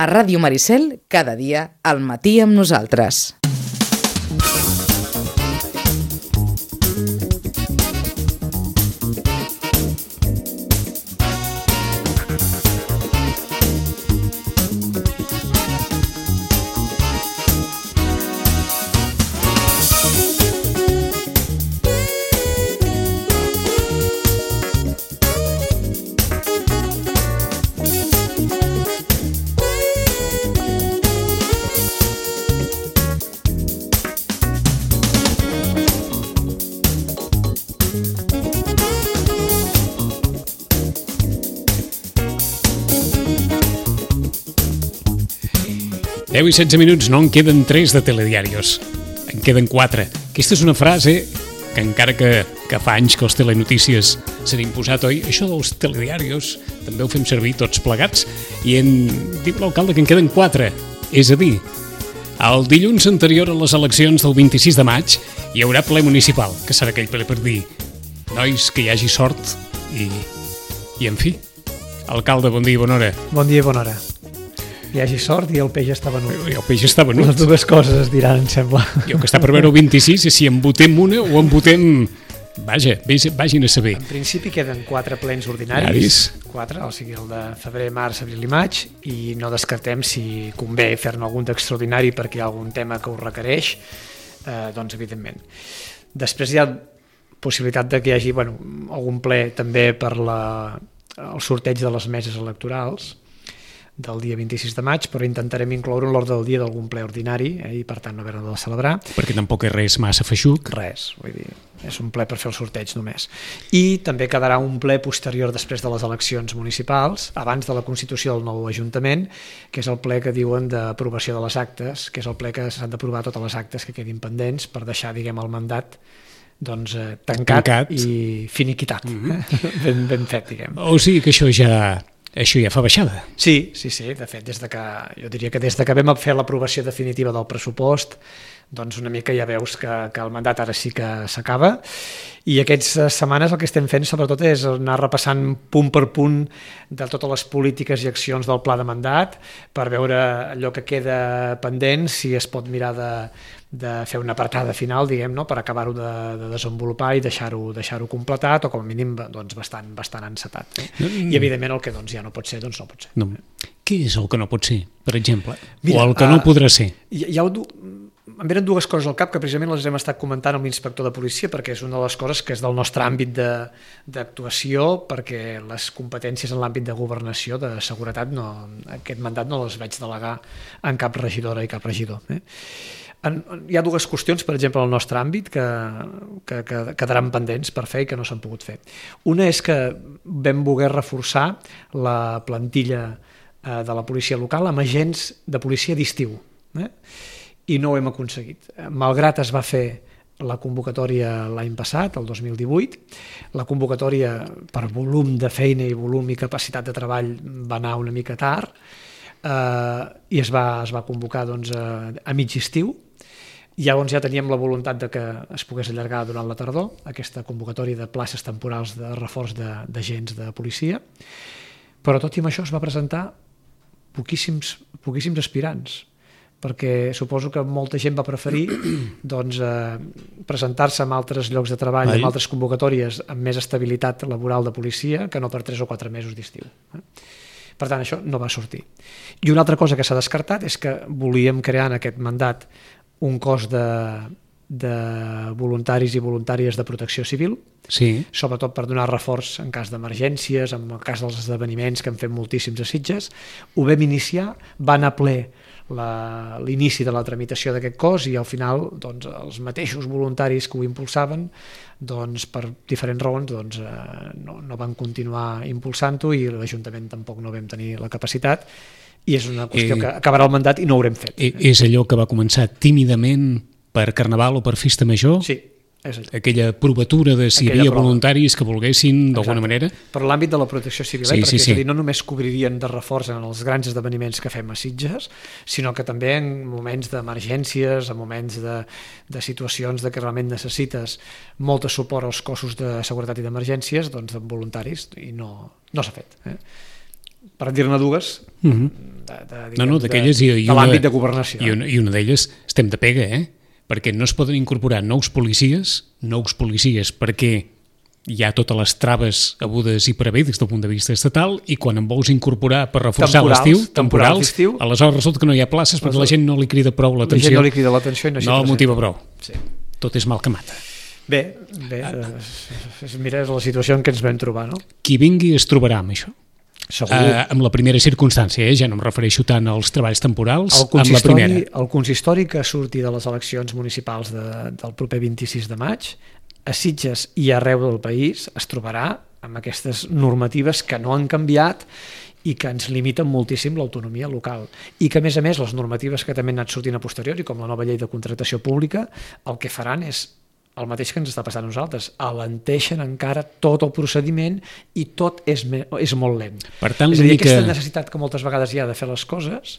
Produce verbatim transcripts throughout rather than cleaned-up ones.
A Ràdio Maricel, cada dia, al matí amb nosaltres. deu i setze minuts, no en queden tres de telediarios, en queden quatre. Aquesta és una frase que encara que, que fa anys que els telenotícies s'han imposat, oi? Això dels telediarios també ho fem servir tots plegats i en diu l'alcalde que en queden quatre, és a dir, el dilluns anterior a les eleccions del vint-i-sis de maig hi haurà ple municipal, que serà aquell ple per dir nois, que hi hagi sort i, i en fi. Alcalde, bon dia i bona hora. Bon dia i bona hora. Hi hagi sort i el peix està venut. I el peix està venut. Les dues coses es diran, em sembla. Jo que està per veure el vint-i-sis és si en votem una o en votem... Vaja, vagin a saber. En principi queden quatre plens ordinaris. Quatre, o sigui el de febrer, març, abril i maig, i no descartem si convé fer-ne algun d'extraordinari perquè hi ha algun tema que ho requereix, eh, doncs evidentment. Després hi ha possibilitat de que hi hagi bueno, algun ple també per la, el sorteig de les meses electorals del dia vint-i-sis de maig, però intentarem incloure en l'ordre del dia d'algun ple ordinari eh, i per tant no haver-ne de celebrar. Perquè tampoc és res massa feixuc. Res, vull dir, és un ple per fer el sorteig només. I també quedarà un ple posterior després de les eleccions municipals, abans de la constitució del nou Ajuntament, que és el ple que diuen d'aprovació de les actes, que és el ple que s'han d'aprovar totes les actes que quedin pendents per deixar, diguem, el mandat doncs, eh, tancat, tancat i finiquitat. Mm-hmm. ben, ben fet, diguem. O sigui que això ja... Això ja fa baixada. Sí, sí, sí. De fet, des de que, jo diria que des de que vam fer l'aprovació definitiva del pressupost, doncs una mica ja veus que, que el mandat ara sí que s'acaba i aquestes setmanes el que estem fent sobretot és anar repassant punt per punt de totes les polítiques i accions del pla de mandat per veure allò que queda pendent, si es pot mirar de, de fer una apartada final, diguem, no? Per acabar-ho de, de desenvolupar i deixar-ho deixar-ho completat o com a mínim doncs, bastant, bastant encetat. Eh? Mm. I evidentment el que doncs, ja no pot ser, doncs no pot ser. No. Què és el que no pot ser, per exemple? Mira, o el que no uh, podrà ser? Hi, hi ha un... Em venen dues coses al cap que precisament les hem estat comentant amb l'inspector de policia perquè és una de les coses que és del nostre àmbit d'actuació perquè les competències en l'àmbit de governació, de seguretat, no, aquest mandat no les veig delegar en cap regidora i cap regidor. Eh? En, hi ha dues qüestions, per exemple, al nostre àmbit que, que, que quedaran pendents per fer i que no s'han pogut fer. Una és que vam voler reforçar la plantilla eh, de la policia local amb agents de policia d'estiu. Eh? I no ho hem aconseguit. Malgrat es va fer la convocatòria l'any passat, el dos mil divuit, la convocatòria per volum de feina i volum i capacitat de treball va anar una mica tard eh, i es va, es va convocar doncs, a, a mig estiu. Llavors ja teníem la voluntat de que es pogués allargar durant la tardor aquesta convocatòria de places temporals de reforç d'agents de, de policia, però tot i amb això es va presentar poquíssims, poquíssims aspirants, perquè suposo que molta gent va preferir doncs, eh, presentar-se en altres llocs de treball, Ai. en altres convocatòries amb més estabilitat laboral de policia que no per tres o quatre mesos d'estiu. Eh? Per tant, això no va sortir. I una altra cosa que s'ha descartat és que volíem crear en aquest mandat un cos de, de voluntaris i voluntàries de protecció civil, sí. sobretot per donar reforç en cas d'emergències, en el cas dels esdeveniments que hem fet moltíssims a Sitges. Ho vam iniciar, va anar ple l'inici de la tramitació d'aquest cos i al final doncs, els mateixos voluntaris que ho impulsaven doncs, per diferents raons doncs, eh, no, no van continuar impulsant-ho i l'Ajuntament tampoc no vam tenir la capacitat i és una qüestió eh, que acabarà el mandat i no ho haurem fet. Eh, és allò que va començar tímidament per Carnaval o per Festa Major? Sí. És aquella provatura de si aquella hi havia prova. voluntaris que volguessin d'alguna manera? Per l'àmbit de la protecció civil, sí, eh? perquè sí, sí. és a dir, no només cobririen de reforç en els grans esdeveniments que fem a Sitges, sinó que també en moments d'emergències, en moments de, de situacions de que realment necessites molt de suport als cossos de seguretat i d'emergències, doncs amb voluntaris, i no, no s'ha fet. Eh? per dir-ne dues, uh -huh. de, de, no, no, d'aquelles de, i, i de l'àmbit de governació. I una, i una d'elles estem de pega, eh? Perquè no es poden incorporar nous policies, nous policies perquè hi ha totes les traves abudes i per haver des del punt de vista estatal, i quan en vols incorporar per reforçar l'estiu, temporals, temporals aleshores resulta que no hi ha places perquè la gent no li crida prou l'atenció. La gent no li crida l'atenció i no, no el motiva prou. Sí. Tot és mal que mata. Bé, bé és, mira, és la situació en què ens vam trobar, no? Qui vingui es trobarà amb això. Segur. Uh, amb la primera circumstància, eh? Ja no em refereixo tant als treballs temporals, amb la primera. El consistori que surti de les eleccions municipals de, del proper vint-i-sis de maig, a Sitges i arreu del país es trobarà amb aquestes normatives que no han canviat i que ens limiten moltíssim l'autonomia local. I que, a més a més, les normatives que també han anat sortint a posteriori, com la nova llei de contractació pública, el que faran és el mateix que ens està passant a nosaltres, alenteixen encara tot el procediment i tot és, és molt lent. Per tant, és a dir, aquesta que... necessitat que moltes vegades hi ha de fer les coses,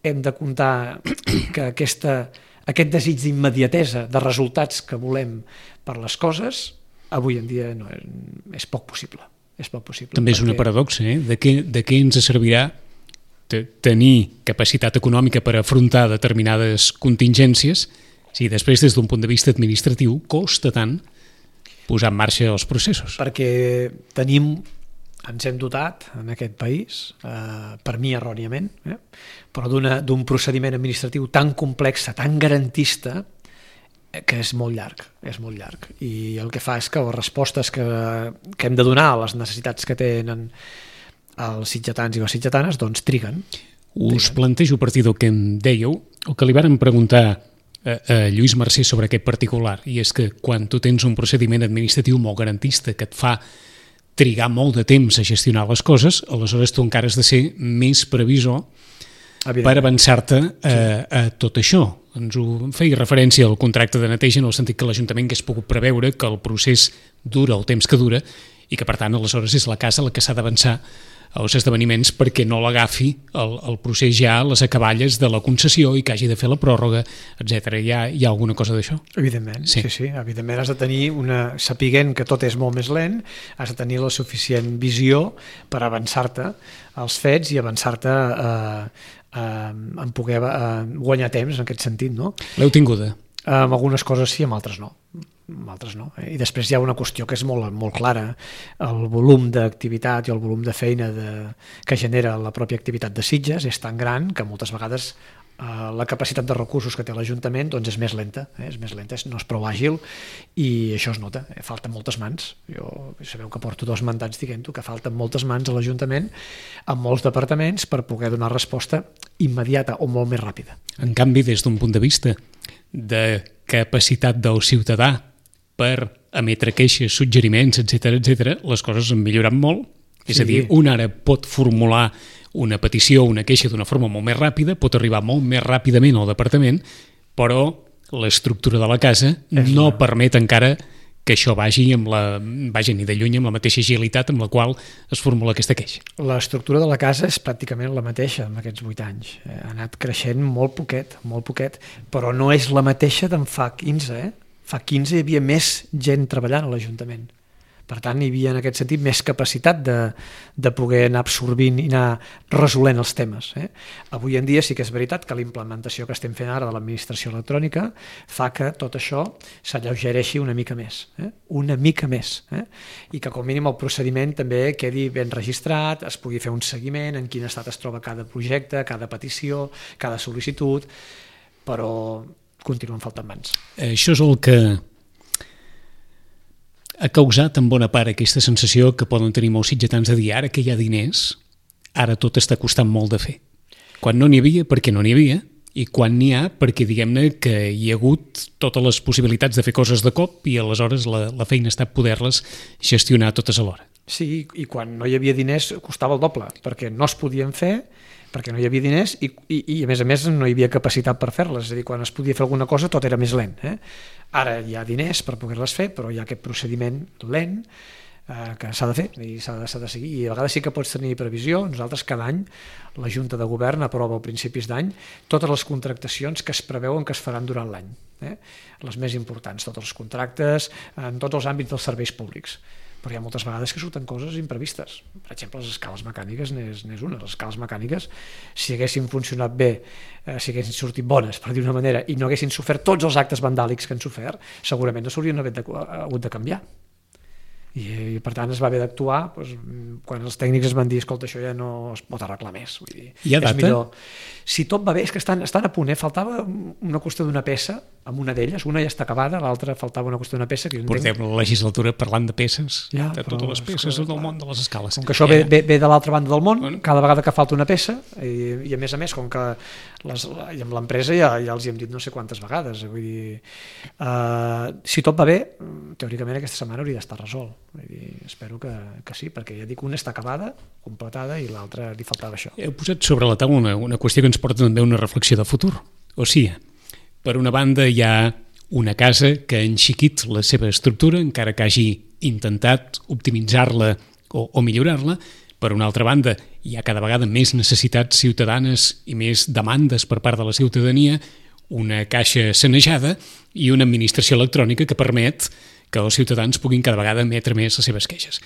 hem de comptar que aquesta, aquest desig d'immediatesa, de resultats que volem per les coses, avui en dia no és, és poc possible. És poc possible. També és una paradoxa, eh? De què, de què ens servirà tenir capacitat econòmica per afrontar determinades contingències si després, des d'un punt de vista administratiu, costa tant posar en marxa els processos? Perquè tenim, ens hem dotat en aquest país, eh, per mi erròniament, eh, però d'un procediment administratiu tan complex, tan garantista, que és molt llarg, és molt llarg. I el que fa és que les respostes que, que hem de donar a les necessitats que tenen els sitgetans i les sitgetanes, doncs triguen. Us triguen. Plantejo a partir del que em dèieu, el que li varen preguntar a, a Lluís Mercè sobre aquest particular, i és que quan tu tens un procediment administratiu molt garantista que et fa trigar molt de temps a gestionar les coses, aleshores tu encara has de ser més previsor per avançar-te a, a tot això. Ens ho feia referència al contracte de neteja en el sentit que l'Ajuntament hagués pogut preveure que el procés dura el temps que dura i que per tant aleshores és la casa la que s'ha d'avançar als esdeveniments perquè no l'agafi el, el procés ja a les acaballes de la concessió i que hagi de fer la pròrroga, etcètera. Hi ha, hi ha alguna cosa d'això? Evidentment, sí. sí, sí. Evidentment has de tenir una... Sapiguent que tot és molt més lent, has de tenir la suficient visió per avançar-te als fets i avançar-te a, a, a poder a guanyar temps en aquest sentit, no? L'heu tinguda? Amb algunes coses sí, amb altres no. Amb altres no. I després hi ha una qüestió que és molt, molt clara. El volum d'activitat i el volum de feina de, que genera la pròpia activitat de Sitges és tan gran que moltes vegades eh, la capacitat de recursos que té l'Ajuntament doncs és més lenta, eh? és més lenta, no és prou àgil i això es nota, eh? Falten moltes mans. Jo sabeu que porto dos mandats dient-ho, que falten moltes mans a l'Ajuntament en molts departaments per poder donar resposta immediata o molt més ràpida. En canvi, des d'un punt de vista de capacitat del ciutadà per emetre queixes, suggeriments, etcètera, etcètera, les coses han millorat molt. És sí. a dir, un ara pot formular una petició, una queixa d'una forma molt més ràpida, pot arribar molt més ràpidament al departament, però l'estructura de la casa és no la... permet encara que això vagi amb la, vagi ni de lluny amb la mateixa agilitat amb la qual es formula aquesta queixa. L'estructura de la casa és pràcticament la mateixa en aquests vuit anys. Ha anat creixent molt poquet, molt poquet, però no és la mateixa d'en fa quinze, eh? Fa quinze hi havia més gent treballant a l'Ajuntament. Per tant, hi havia en aquest sentit més capacitat de, de poder anar absorbint i anar resolent els temes. Eh? Avui en dia sí que és veritat que la implementació que estem fent ara de l'administració electrònica fa que tot això s'alleugereixi una mica més. Eh? Una mica més. Eh? I que com mínim el procediment també quedi ben registrat, es pugui fer un seguiment en quin estat es troba cada projecte, cada petició, cada sol·licitud, però continuen faltant mans. Això és el que ha causat en bona part aquesta sensació que poden tenir molts sitgetans de dir ara que hi ha diners, ara tot està costant molt de fer. Quan no n'hi havia, perquè no n'hi havia, i quan n'hi ha, perquè diguem-ne que hi ha hagut totes les possibilitats de fer coses de cop i aleshores la, la feina ha estat poder-les gestionar totes alhora. Sí, i quan no hi havia diners costava el doble, perquè no es podien fer, perquè no hi havia diners i, i, i a més a més no hi havia capacitat per fer-les, és a dir, quan es podia fer alguna cosa tot era més lent. Eh? Ara hi ha diners per poder-les fer, però hi ha aquest procediment lent eh, que s'ha de fer i s'ha de, s'ha de seguir, i a vegades sí que pots tenir previsió. Nosaltres cada any la Junta de Govern aprova a principis d'any totes les contractacions que es preveuen que es faran durant l'any, eh? Les més importants, tots els contractes en tots els àmbits dels serveis públics. però hi ha moltes vegades que surten coses imprevistes. Per exemple, les escales mecàniques n'és, n'és una. Les escales mecàniques, si haguessin funcionat bé, eh, si haguessin sortit bones, per dir-ho d'una manera, i no haguessin sofert tots els actes vandàlics que han sofert, segurament no s'haurien hagut de, hagut de canviar. I, i per tant es va haver d'actuar doncs, quan els tècnics es van dir escolta, això ja no es pot arreglar més. Vull dir, hi ha data? És millor. Si tot va bé, és que estan, estan a punt, eh? Faltava una qüestió d'una peça amb una d'elles, una ja està acabada, l'altra faltava una qüestió d'una peça que jo portem entenc... la legislatura parlant de peces, ja, de totes les peces del món de les escales. Com que això ve, ve, ve de l'altra banda del món, bueno. Cada vegada que falta una peça, i, i a més a més, com que les, i amb l'empresa ja, ja els hi hem dit no sé quantes vegades, vull dir, uh, si tot va bé, teòricament aquesta setmana hauria d'estar resolt. Vull dir, espero que, que sí, perquè ja dic, una està acabada, completada, i l'altra li faltava això. Heu posat sobre la taula una, una qüestió que ens porta també a una reflexió de futur. O sigui, per una banda hi ha una casa que ha enxiquit la seva estructura, encara que hagi intentat optimitzar-la o, o millorar-la. Per una altra banda, hi ha cada vegada més necessitats ciutadanes i més demandes per part de la ciutadania, una caixa sanejada i una administració electrònica que permet que els ciutadans puguin cada vegada emetre més les seves queixes.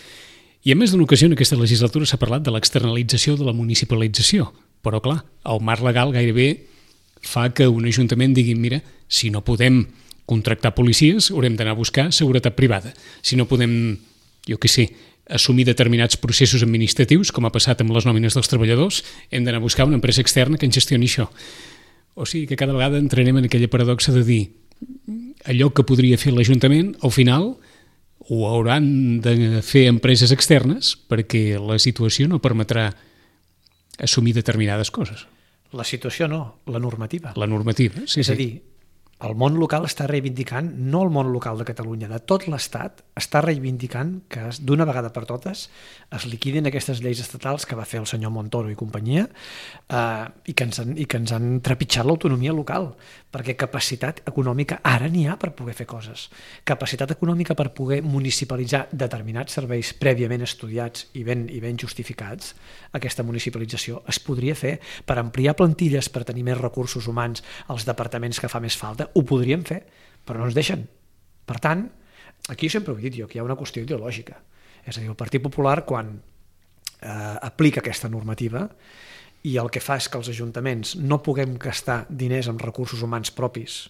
I a més d'una ocasió en aquesta legislatura s'ha parlat de l'externalització de la municipalització, però clar, el marc legal gairebé fa que un ajuntament digui, mira, si no podem contractar policies, haurem d'anar a buscar seguretat privada. Si no podem, jo què sé, assumir determinats processos administratius, com ha passat amb les nòmines dels treballadors, hem d'anar a buscar una empresa externa que ens gestioni això. O sigui que cada vegada entrarem en aquella paradoxa de dir allò que podria fer l'Ajuntament, al final ho hauran de fer empreses externes perquè la situació no permetrà assumir determinades coses. La situació no, la normativa. La normativa, sí, és sí. a dir, el món local està reivindicant, no el món local de Catalunya, de tot l'Estat, està reivindicant que d'una vegada per totes es liquidin aquestes lleis estatals que va fer el senyor Montoro i companyia eh, i, que ens han, i que ens han trepitjat l'autonomia local, perquè capacitat econòmica ara n'hi ha per poder fer coses. Capacitat econòmica per poder municipalitzar determinats serveis prèviament estudiats i ben, i ben justificats, aquesta municipalització es podria fer per ampliar plantilles, per tenir més recursos humans als departaments que fa més falta, ho podríem fer, però no ens deixen. Per tant, aquí sempre ho he dit jo, que hi ha una qüestió ideològica. És a dir, el Partit Popular, quan eh, aplica aquesta normativa i el que fa és que els ajuntaments no puguem gastar diners amb recursos humans propis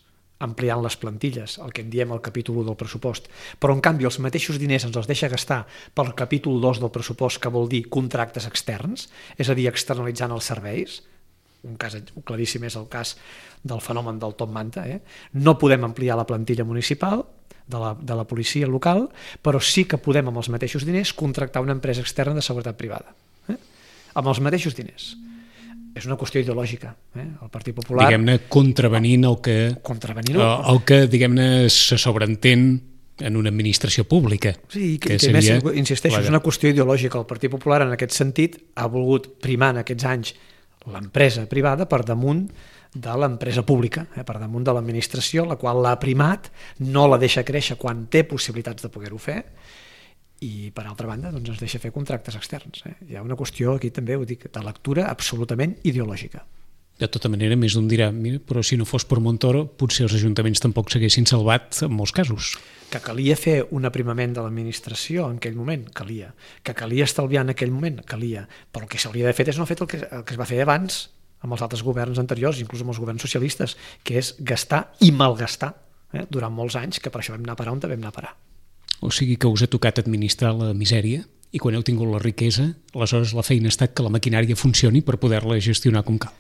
ampliant les plantilles, el que en diem el capítol u del pressupost, però en canvi els mateixos diners ens els deixa gastar pel capítol dos del pressupost, que vol dir contractes externs, és a dir, externalitzant els serveis. Un cas claríssim és el cas del fenomen del top manta. Eh? No podem ampliar la plantilla municipal de la, de la policia local, però sí que podem amb els mateixos diners contractar una empresa externa de seguretat privada. Eh? Amb els mateixos diners. És una qüestió ideològica. Eh? El Partit Popular... Diguem-ne, contravenint el que, contravenint el, el que diguem-ne, se sobreentén en una administració pública. Sí, que, que, que seria... més, insisteixo, és una qüestió ideològica. El Partit Popular en aquest sentit ha volgut primar en aquests anys l'empresa privada per damunt de l'empresa pública, eh, per damunt de l'administració, la qual l'ha primat, no la deixa créixer quan té possibilitats de poder-ho fer, i per altra banda doncs ens deixa fer contractes externs. Eh. Hi ha una qüestió aquí també, ho dic, de lectura absolutament ideològica. De tota manera, més d'un dirà, mira, però si no fos per Montoro, potser els ajuntaments tampoc s'haguessin salvat en molts casos. Que calia fer un aprimament de l'administració en aquell moment, calia. Que calia estalviar en aquell moment, calia. Però el que s'hauria de fer és no fer el que, el que es va fer abans amb els altres governs anteriors, inclús amb els governs socialistes, que és gastar i malgastar eh, durant molts anys, que per això vam anar a parar on vam anar a parar. O sigui que us ha tocat administrar la misèria i quan heu tingut la riquesa, aleshores la feina ha estat que la maquinària funcioni per poder-la gestionar com cal.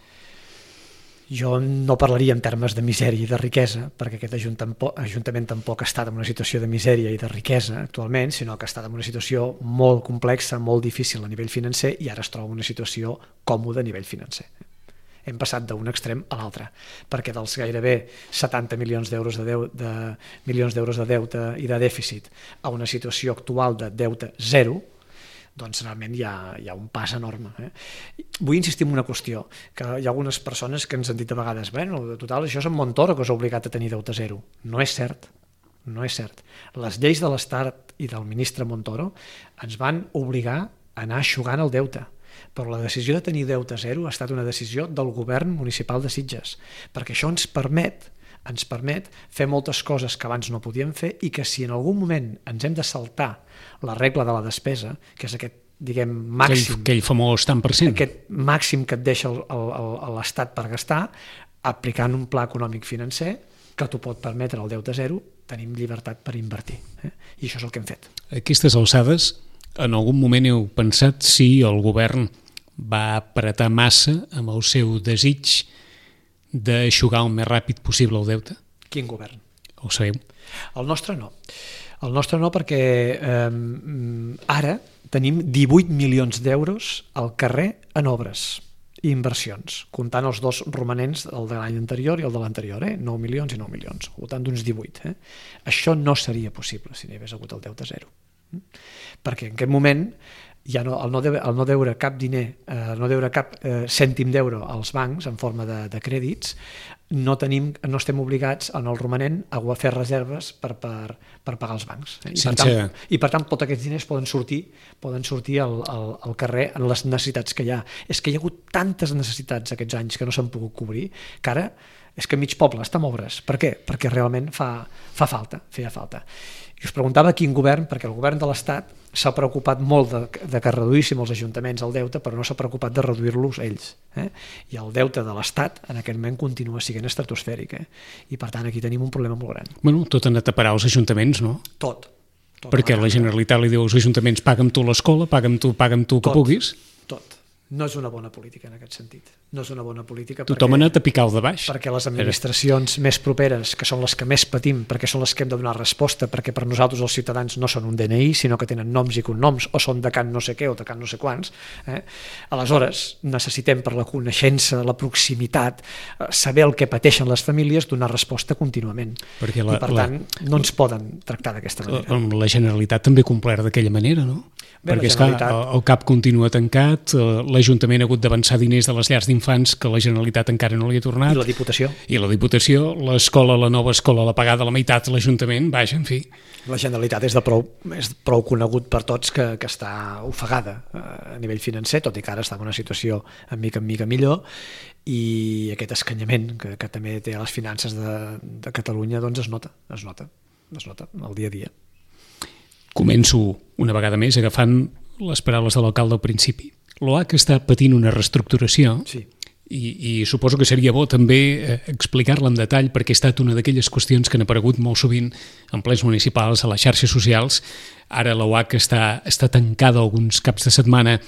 Jo no parlaria en termes de misèria i de riquesa, perquè aquest ajuntament tampoc ha estat en una situació de misèria i de riquesa actualment, sinó que ha estat en una situació molt complexa, molt difícil a nivell financer, i ara es troba en una situació còmoda a nivell financer. Hem passat d'un extrem a l'altre, perquè dels gairebé setanta milions d'euros de, deu, de, milions d'euros de deute i de dèficit a una situació actual de deute zero, doncs realment hi ha, hi ha un pas enorme. Eh? Vull insistir en una qüestió, que hi ha algunes persones que ens han dit a vegades, bueno, de total, això és en Montoro que us ha obligat a tenir deute zero. No és cert, no és cert. Les lleis de l'Estat i del ministre Montoro ens van obligar a anar eixugant el deute, però la decisió de tenir deute zero ha estat una decisió del govern municipal de Sitges, perquè això ens permet ens permet fer moltes coses que abans no podíem fer i que si en algun moment ens hem de saltar la regla de la despesa, que és aquest, diguem, màxim... Aquell, aquell famós tant per cent. Aquest màxim que et deixa el, el, el, l'Estat per gastar, aplicant un pla econòmic financer que t'ho pot permetre el deute zero, tenim llibertat per invertir. Eh? I això és el que hem fet. A aquestes alçades, en algun moment heu pensat si el govern va apretar massa amb el seu desig d'aixugar el més ràpid possible el deute? Quin govern? Ho sabeu? El nostre no. El nostre no perquè eh, ara tenim divuit milions d'euros al carrer en obres i inversions, comptant els dos romanents, el de l'any anterior i el de l'anterior, eh? nou milions i nou milions, al voltant d'uns divuit. Eh? Això no seria possible si n'hi hagués hagut el deute zero. Perquè en aquest moment ja no, el, no deure, el no deure cap diner, eh, no deure cap eh, cèntim d'euro als bancs en forma de, de crèdits, no, tenim, no estem obligats en el romanent a fer reserves per, per, per pagar els bancs. Eh? I, Sense... per tant, I per tant tots aquests diners poden sortir, poden sortir al, al, al carrer en les necessitats que hi ha. És que hi ha hagut tantes necessitats aquests anys que no s'han pogut cobrir que ara és que mig poble està en obres. Per què? Perquè realment fa, fa falta, feia falta. I us preguntava quin govern, perquè el govern de l'Estat s'ha preocupat molt de, de que reduíssim els ajuntaments el deute, però no s'ha preocupat de reduir-los ells. Eh? I el deute de l'Estat en aquest moment continua sent estratosfèric. Eh? I per tant aquí tenim un problema molt gran. Bueno, tot ha anat a parar als ajuntaments, no? Tot. tot perquè la Generalitat li diu als ajuntaments paga'm tu l'escola, paga'm tu, paga'm tu que tot, puguis. Tot. No és una bona política en aquest sentit. No és una bona política tothom ha anat a picar el de baix. Perquè les administracions Era. més properes, que són les que més patim, perquè són les que hem de donar resposta, perquè per nosaltres els ciutadans no són un D N I, sinó que tenen noms i cognoms, o són de can no sé què o de can no sé quants. Eh? Aleshores, necessitem per la coneixença, la proximitat, saber el que pateixen les famílies, donar resposta contínuament. Perquè la, I per la, tant, no ens poden tractar d'aquesta manera. La, la Generalitat també ha complert d'aquella manera, no? Bé, perquè és Generalitat... clar, el CAP continua tancat, l'Ajuntament ha hagut d'avançar diners de les llars d'infants que la Generalitat encara no li ha tornat. I la Diputació. I la Diputació, l'escola, la nova escola l'ha pagada a la meitat, l'Ajuntament, vaja, en fi. La Generalitat és, de prou, és prou conegut per tots que, que està ofegada a nivell financer, tot i que ara està en una situació en mica en mica millor, i aquest escanyament que, que també té a les finances de, de Catalunya doncs es nota, es nota, es nota al dia a dia. Començo una vegada més agafant les paraules de l'alcalde al principi. L'O H està patint una reestructuració sí. i, i suposo que seria bo també eh, explicar-la en detall perquè ha estat una d'aquelles qüestions que han aparegut molt sovint en plens municipals, a les xarxes socials. Ara l'O H està, està tancada alguns caps de setmana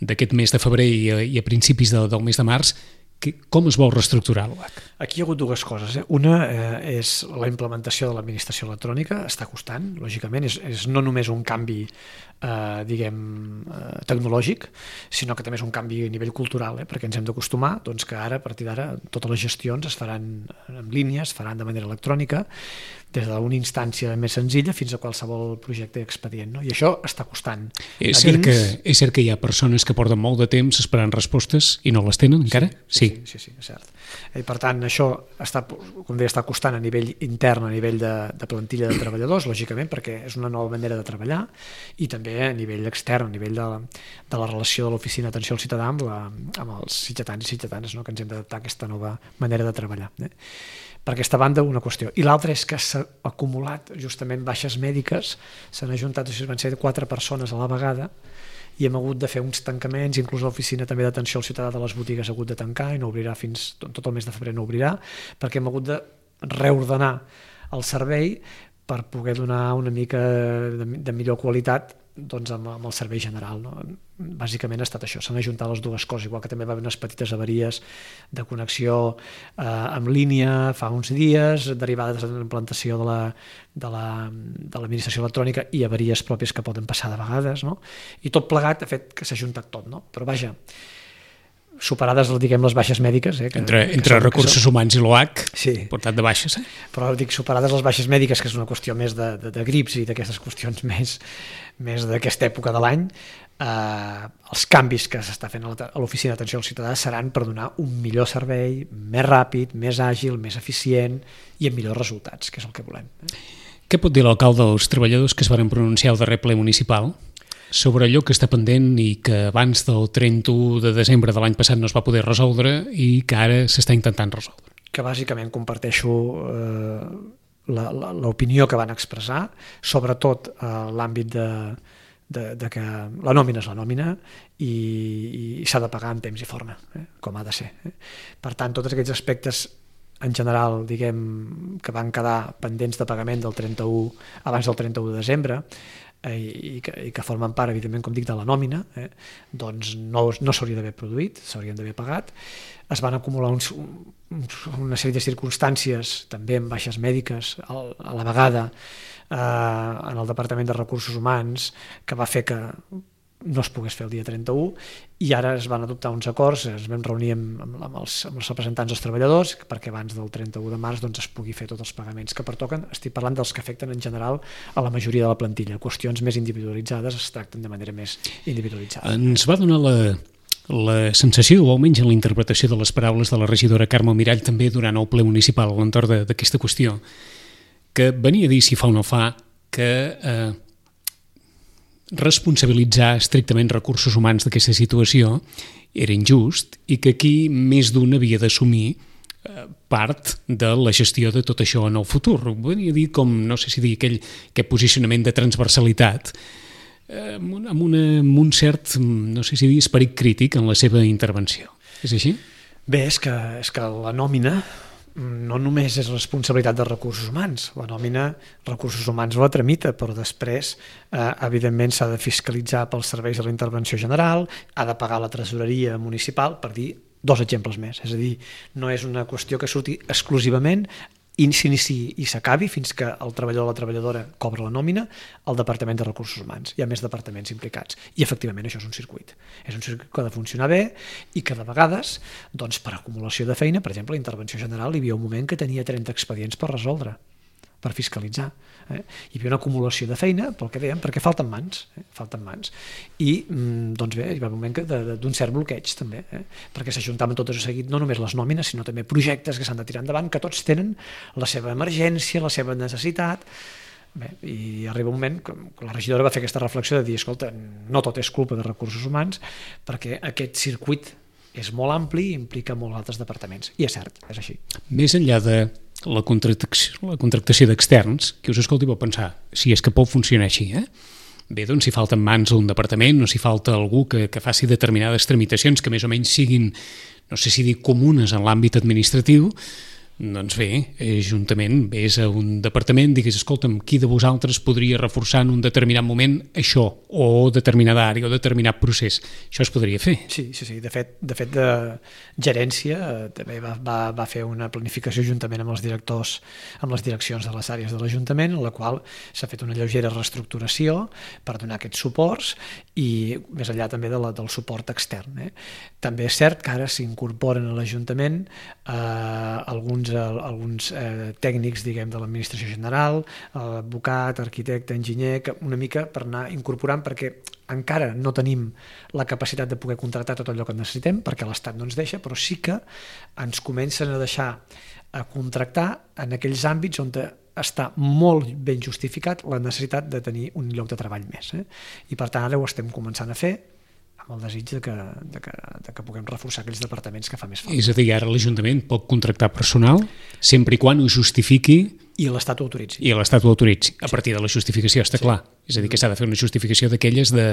d'aquest mes de febrer i a, i a principis de, del mes de març. Que, com es vol reestructurar l'O H? Aquí hi ha hagut dues coses. Eh? Una eh, és la implementació de l'administració electrònica, està costant, lògicament, és, és no només un canvi eh, diguem, eh, tecnològic, sinó que també és un canvi a nivell cultural, eh? Perquè ens hem d'acostumar doncs, que ara, a partir d'ara, totes les gestions es faran en línia, es faran de manera electrònica, des d'una instància més senzilla fins a qualsevol projecte expedient. No? I això està costant. És cert, que, és cert que hi ha persones que porten molt de temps esperant respostes i no les tenen encara? Sí, sí, sí, sí, sí és cert. I per tant, això està, com deia, està costant a nivell intern, a nivell de, de plantilla de treballadors, lògicament, perquè és una nova manera de treballar, i també a nivell extern, a nivell de, de la relació de l'oficina d'atenció al ciutadà amb, la, amb els ciutadans i ciutadanes, no? Que ens hem d'adaptar a aquesta nova manera de treballar. Eh? Per aquesta banda, una qüestió. I l'altra és que s'ha acumulat justament baixes mèdiques, s'han ajuntat, van ser quatre persones a la vegada, i hem hagut de fer uns tancaments, inclús l'oficina també d'atenció al ciutadà de les botigues ha hagut de tancar i no obrirà fins, tot el mes de febrer no obrirà, perquè hem hagut de reordenar el servei per poder donar una mica de, de millor qualitat doncs amb, amb el servei general. No? Bàsicament ha estat això, s'han ajuntat les dues coses, igual que també va haver unes petites avaries de connexió eh, en línia fa uns dies, derivades de l'implantació de la, de la, de l'administració electrònica i avaries pròpies que poden passar de vegades, no? I tot plegat ha fet que s'ha ajuntat tot, no? Però vaja, superades, diguem, les baixes mèdiques. Eh, que, entre entre que són, recursos que són... humans i l'O H, sí. portat de baixes. Eh? Però dic superades les baixes mèdiques, que és una qüestió més de, de, de grips i d'aquestes qüestions més, més d'aquesta època de l'any, eh, els canvis que s'està fent a l'oficina d'atenció al ciutadà seran per donar un millor servei, més ràpid, més àgil, més eficient i amb millors resultats, que és el que volem. Eh? Què pot dir l'alcalde dels treballadors que es van pronunciar al darrer ple municipal sobre allò que està pendent i que abans del trenta-u de desembre de l'any passat no es va poder resoldre i que ara s'està intentant resoldre? que bàsicament comparteixo eh, l'opinió que van expressar, sobretot a eh, l'àmbit de, de, de que la nòmina és la nòmina i, i s'ha de pagar en temps i forma, eh, com ha de ser. Eh. Per tant, tots aquests aspectes en general, diguem, que van quedar pendents de pagament del trenta-u, abans del trenta-u de desembre, eh, i, que, i que formen part, evidentment, com dic, de la nòmina, eh, doncs no, no s'hauria d'haver produït, s'haurien d'haver pagat. Es van acumular uns, uns, una sèrie de circumstàncies, també amb baixes mèdiques, a, a la vegada, eh, en el Departament de Recursos Humans, que va fer que no es pogués fer el dia trenta-u, i ara es van adoptar uns acords, ens vam reunir amb, amb, els, amb els representants dels treballadors perquè abans del trenta-u de març doncs, es pugui fer tots els pagaments que pertoquen. Estic parlant dels que afecten en general a la majoria de la plantilla. Qüestions més individualitzades es tracten de manera més individualitzada. Ens va donar la, la sensació, o almenys en la interpretació de les paraules de la regidora Carme Mirall també durant el ple municipal a l'entorn d'aquesta qüestió, que venia a dir, si fa o no fa, que eh, responsabilitzar estrictament recursos humans d'aquesta situació era injust i que aquí més d'un havia d'assumir eh, part de la gestió de tot això en el futur. Venia a dir com, no sé si dir, aquell, aquell posicionament de transversalitat eh, amb, un, amb, una, amb un cert, no sé si dir, esperit crític en la seva intervenció. És així? Bé, és que, és que la nòmina no només és responsabilitat de recursos humans, la nòmina recursos humans la tramita, però després eh, evidentment s'ha de fiscalitzar pels serveis de la intervenció general, ha de pagar la tresoreria municipal, per dir dos exemples més, és a dir, no és una qüestió que surti exclusivament i s'iniciï i s'acabi fins que el treballador o la treballadora cobra la nòmina al Departament de Recursos Humans. Hi ha més departaments implicats i efectivament això és un circuit. És un circuit que ha de funcionar bé i que de vegades, doncs, per acumulació de feina, per exemple, la intervenció general, hi havia un moment que tenia trenta expedients per resoldre, per fiscalitzar. Eh? Hi havia una acumulació de feina, pel que dèiem, perquè falten mans, eh? falten mans. I, doncs bé, hi va un moment d'un cert bloqueig, també, eh? perquè s'ajuntaven tot això seguit, no només les nòmines, sinó també projectes que s'han de tirar endavant, que tots tenen la seva emergència, la seva necessitat. Bé, i arriba un moment que la regidora va fer aquesta reflexió de dir, escolta, no tot és culpa de recursos humans, perquè aquest circuit és molt ampli i implica molts altres departaments. I és cert, és així. Més enllà de la contractació, la contractació d'externs, que us escolti pot pensar, si és que pot funcionar així, eh? Bé, doncs si falten mans a un departament o si falta algú que, que faci determinades tramitacions que més o menys siguin, no sé si dir comunes en l'àmbit administratiu, doncs bé, juntament vés a un departament, digues, escolta'm, qui de vosaltres podria reforçar en un determinat moment això, o determinada àrea, o determinat procés. Això es podria fer. Sí, sí, sí. De fet, de fet, de gerència també va, va, va fer una planificació juntament amb els directors, amb les direccions de les àrees de l'Ajuntament, en la qual s'ha fet una lleugera reestructuració per donar aquests suports i més enllà també de la, del suport extern. Eh? També és cert que ara s'incorporen a l'Ajuntament eh, alguns alguns eh, tècnics, diguem, de l'administració general, advocat, arquitecte, enginyer, que una mica per anar incorporant, perquè encara no tenim la capacitat de poder contractar tot allò que necessitem, perquè l'Estat no ens deixa, però sí que ens comencen a deixar a contractar en aquells àmbits on està molt ben justificat la necessitat de tenir un lloc de treball més. Eh? I per tant ara ho estem començant a fer, amb el desig de que, de, que, de que puguem reforçar aquells departaments que fa més falta. És a dir, ara l'Ajuntament pot contractar personal sempre i quan ho justifiqui i l'Estat ho autoritzi. I l'Estat ho autoritzi. A partir de la justificació, està sí. clar. És a dir, que s'ha de fer una justificació d'aquelles de,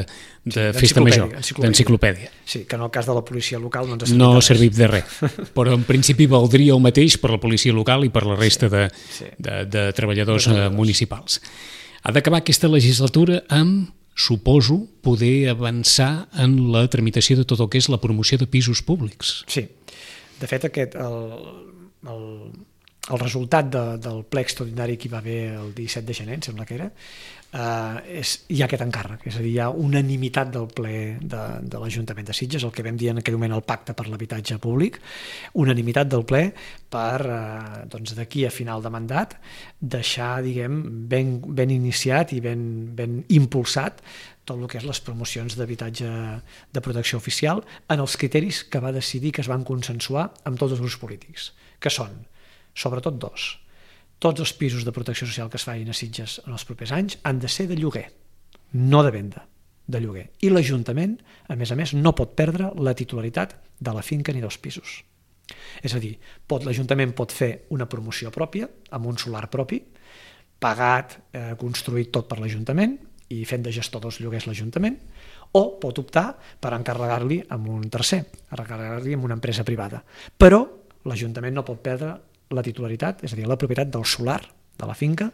de sí, festa major, d'enciclopèdia. Sí, que en el cas de la policia local no ens ha servit no ha servit de res. Però en principi valdria el mateix per la policia local i per la resta sí, de, sí. de, de treballadors de municipals. Ha d'acabar aquesta legislatura amb, suposo, poder avançar en la tramitació de tot el que és la promoció de pisos públics. Sí. De fet, aquest, el, el, el resultat de, del ple extraordinari que hi va haver el disset de gener, em sembla que era, eh, és, hi ha aquest encàrrec, és a dir, hi ha unanimitat del ple de, de l'Ajuntament de Sitges, el que vam dir en aquell moment el pacte per l'habitatge públic, unanimitat del ple per, eh, doncs, d'aquí a final de mandat, deixar, diguem, ben, ben iniciat i ben, ben impulsat tot el que és les promocions d'habitatge de protecció oficial en els criteris que va decidir, que es van consensuar amb tots els grups polítics, que són, sobretot dos, tots els pisos de protecció social que es facin a Sitges en els propers anys han de ser de lloguer, no de venda, de lloguer. I l'Ajuntament, a més a més, no pot perdre la titularitat de la finca ni dels pisos. És a dir, pot, l'Ajuntament pot fer una promoció pròpia, amb un solar propi, pagat, eh, construït tot per l'Ajuntament i fent de gestor dels lloguers l'Ajuntament, o pot optar per encarregar-li amb un tercer, encarregar-li amb una empresa privada. Però l'Ajuntament no pot perdre la titularitat, és a dir, la propietat del solar, de la finca,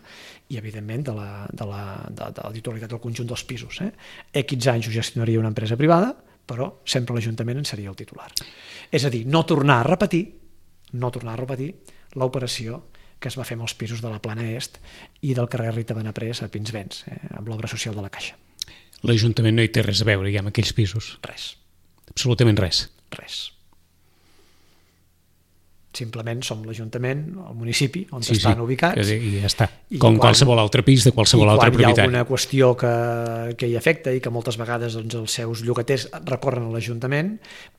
i evidentment de la, de la, de, de la titularitat del conjunt dels pisos. Eh? Equis anys ho gestionaria una empresa privada, però sempre l'Ajuntament en seria el titular. És a dir, no tornar a repetir, no tornar a repetir l'operació que es va fer amb els pisos de la Plana Est i del carrer Rita Benaprés a Pinsbens, eh, amb l'obra social de la Caixa. L'Ajuntament no hi té res a veure ja amb aquells pisos? Res. Absolutament res? Res. Simplement som l'Ajuntament, el municipi, on sí, estan sí, ubicats. I ja està. Com quan, qualsevol altre pis de qualsevol altre propietari. I quan hi ha alguna qüestió que, que hi afecta i que moltes vegades doncs, els seus llogaters recorren a l'Ajuntament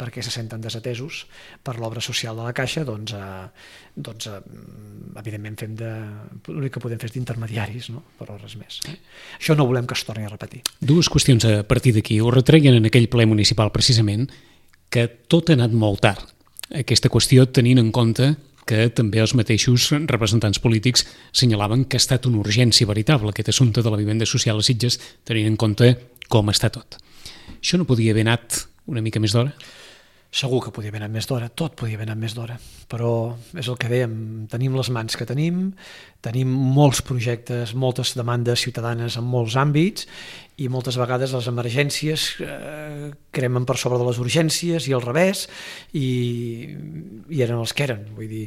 perquè se senten desatesos per l'obra social de la Caixa, doncs, eh, doncs eh, evidentment fem de... l'únic que podem fer és d'intermediaris, no? Però res més. Eh? Això no volem que es torni a repetir. Dues qüestions a partir d'aquí. Ho retreien en aquell ple municipal precisament que tot ha anat molt tard. Aquesta qüestió tenint en compte que també els mateixos representants polítics senyalaven que ha estat una urgència veritable aquest assumpte de la vivenda social a Sitges, tenint en compte com està tot. Això no podia haver anat una mica més d'hora? Segur que podia haver anat més d'hora, tot podia haver anat més d'hora, però és el que dèiem, tenim les mans que tenim, tenim molts projectes, moltes demandes ciutadanes en molts àmbits i moltes vegades les emergències eh, cremen per sobre de les urgències i al revés i, i eren els que eren. Vull dir,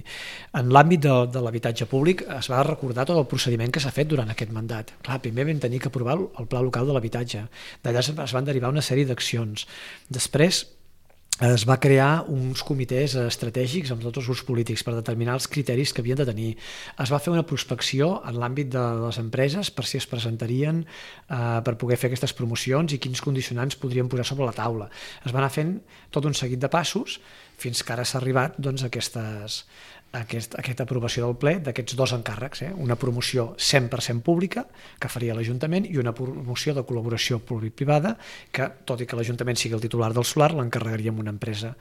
en l'àmbit de, de l'habitatge públic es va recordar tot el procediment que s'ha fet durant aquest mandat. Clar, primer vam tenir que aprovar el Pla Local de l'Habitatge, d'allà es van derivar una sèrie d'accions. Després es va crear uns comitès estratègics amb tots els grups polítics per determinar els criteris que havien de tenir. Es va fer una prospecció en l'àmbit de les empreses per si es presentarien eh, per poder fer aquestes promocions i quins condicionants podrien posar sobre la taula. Es va anar fent tot un seguit de passos fins que ara s'ha arribat doncs, a aquestes... Aquest, aquesta aprovació del ple d'aquests dos encàrrecs, eh? Una promoció cent per cent pública que faria l'Ajuntament i una promoció de col·laboració públic-privada que, tot i que l'Ajuntament sigui el titular del solar, l'encarregaria amb una empresa,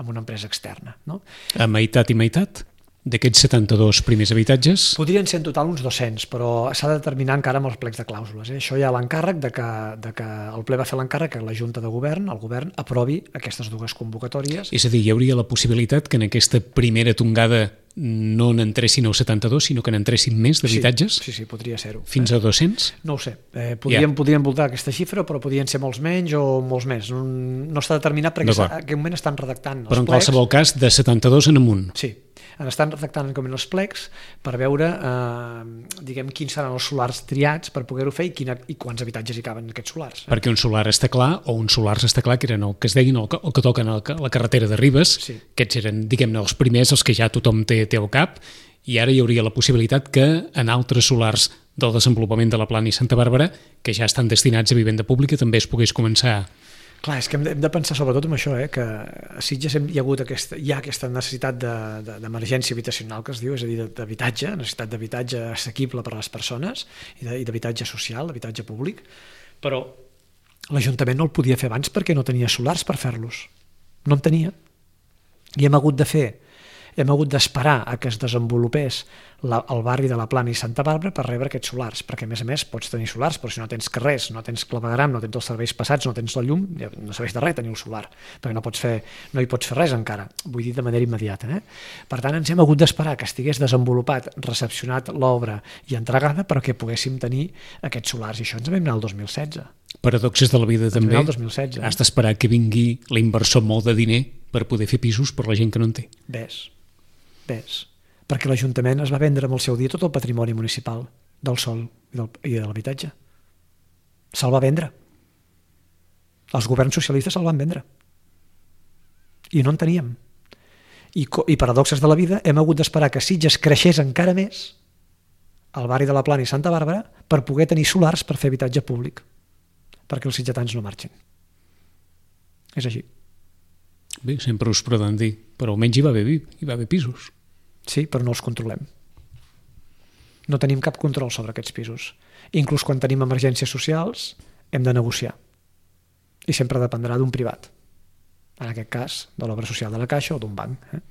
amb una empresa externa. No? A meitat i meitat? D'aquests setanta-dos primers habitatges? Podrien ser en total uns dos-cents, però s'ha de determinar encara amb els plecs de clàusules. Eh? Això hi ha l'encàrrec de que, de que el ple va fer l'encàrrec que la Junta de Govern, el Govern, aprovi aquestes dues convocatòries. És a dir, hi hauria la possibilitat que en aquesta primera tongada no n'entressin els setanta-dos, sinó que n'entressin més d'habitatges? Sí, sí, sí, podria ser-ho. Fins a dos-cents? No ho sé. Eh, podríem, yeah. podríem voltar aquesta xifra, però podrien ser molts menys o molts més. No, no està determinat perquè en aquest moment estan redactant els però en plecs. Qualsevol cas, de setanta-dos en amunt. Sí. Estan redactant els plecs per veure eh, diguem, quins seran els solars triats per poder-ho fer i, quina, i quants habitatges hi caben en aquests solars. Eh? Perquè un solar està clar, o un solar està clar, que eren el que es deien el que, el que toquen a la carretera de Ribes, sí. Aquests eren, diguem-ne, els primers, els que ja tothom té, té al cap, i ara hi hauria la possibilitat que en altres solars del desenvolupament de la Plana i Santa Bàrbara, que ja estan destinats a vivenda pública, també es pogués començar. Clar, és que hem de, hem de pensar sobretot en això, eh, que a Sitges hi ha hagut aquesta, hi ha aquesta necessitat d'emergència de, de, habitacional que es diu, és a dir, d'habitatge, necessitat d'habitatge assequible per a les persones i d'habitatge social, d'habitatge públic, però l'Ajuntament no el podia fer abans perquè no tenia solars per fer-los. No en tenia. I hem hagut de fer hem hagut d'esperar a que es desenvolupés la, el barri de la Plana i Santa Bàrbara per rebre aquests solars, perquè a més a més pots tenir solars, però si no tens carrers, no tens clavegueram, no tens els serveis passats, no tens la llum, no serveix de res tenir el solar, perquè no, pots fer, no hi pots fer res encara, vull dir de manera immediata. Eh? Per tant, ens hem hagut d'esperar que estigués desenvolupat, recepcionat l'obra i entregada perquè poguéssim tenir aquests solars, i això ens vam anar el dos mil setze. Paradoxes de la vida ens també, dos mil setze, has d'esperar que vingui l'inversor molt de diner per poder fer pisos per la gent que no en té. Ves. Ves, perquè l'Ajuntament es va vendre amb el seu dia tot el patrimoni municipal del sòl i, del, i de l'habitatge. Se'l va vendre. Els governs socialistes se'l van vendre. I no en teníem. I, i paradoxes de la vida, hem hagut d'esperar que Sitges creixés encara més al barri de la Plana i Santa Bàrbara per poder tenir solars per fer habitatge públic, perquè els sitgetans no marxin. És així. Bé, sempre us poden dir, però almenys hi va haver, hi va haver pisos. Sí, però no els controlem. No tenim cap control sobre aquests pisos. Inclús quan tenim emergències socials hem de negociar. I sempre dependrà d'un privat. En aquest cas, de l'obra social de la Caixa o d'un banc. Eh?